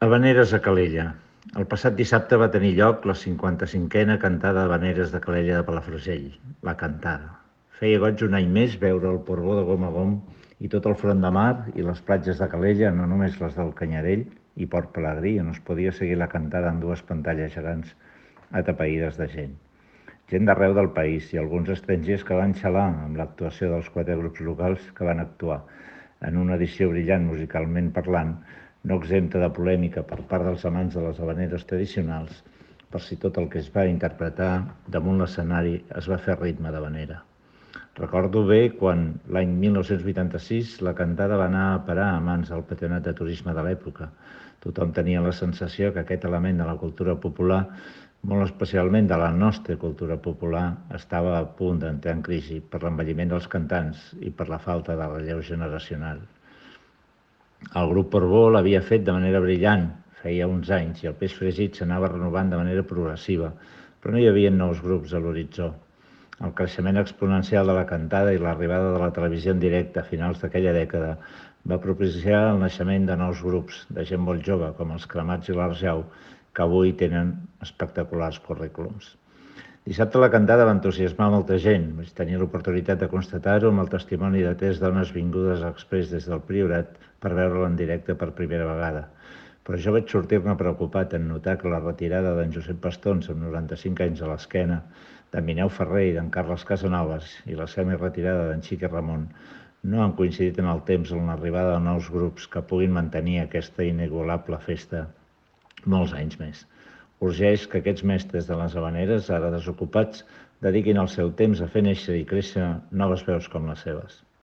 Havaneres a Calella. El passat dissabte va tenir lloc la 55a cantada d'Havaneres de Calella de Palafrugell, la cantada. Feia goig un any més veure el Portbó de gom a gom i tot el front de mar i les platges de Calella, no només les del Canyarell i Port Pelegrí, on es podia seguir la cantada en dues pantalles gegants atapeïdes de gent. Gent d'arreu del país i alguns estrangers que van xalar amb l'actuació dels 4 grups locals que van actuar en una edició brillant musicalment parlant, no exempta de polèmica per part dels amants de les havaneres tradicionals, per si tot el que es va interpretar damunt l'escenari es va fer ritme d'havanera. Recordo bé quan, l'any 1986, la cantada va anar a parar a mans del Patronat de Turisme de l'època. Tothom tenia la sensació que aquest element de la cultura popular, molt especialment de la nostra cultura popular, estava a punt d'entrar en crisi per l'envelliment dels cantants i per la falta de relleu generacional. El grup Portbó l'havia fet de manera brillant, feia uns anys, i el peix fregit s'anava renovant de manera progressiva, però no hi havia nous grups a l'horitzó. El creixement exponencial de la cantada i l'arribada de la televisió en directe a finals d'aquella dècada va propiciar el naixement de nous grups, de gent molt jove, com els Cremats i l'Arjau, que avui tenen espectaculars currículums. Dissabte la cantada va entusiasmar molta gent. Vaig tenir l'oportunitat de constatar-ho amb el testimoni de 3 dones vingudes exprés des del Priorat per veure-la en directe per primera vegada. Però jo vaig sortir-ne preocupat en notar que la retirada d'en Josep Pastons, amb 95 anys a l'esquena, d'en Mineu Ferrer i d'en Carles Casanovas i la semi-retirada d'en Xiqui Ramon no han coincidit en el temps en l'arribada de nous grups que puguin mantenir aquesta inigualable festa molts anys més. Urgeix que aquests mestres de les havaneres, ara desocupats, dediquin el seu temps a fer néixer i créixer noves veus com les seves.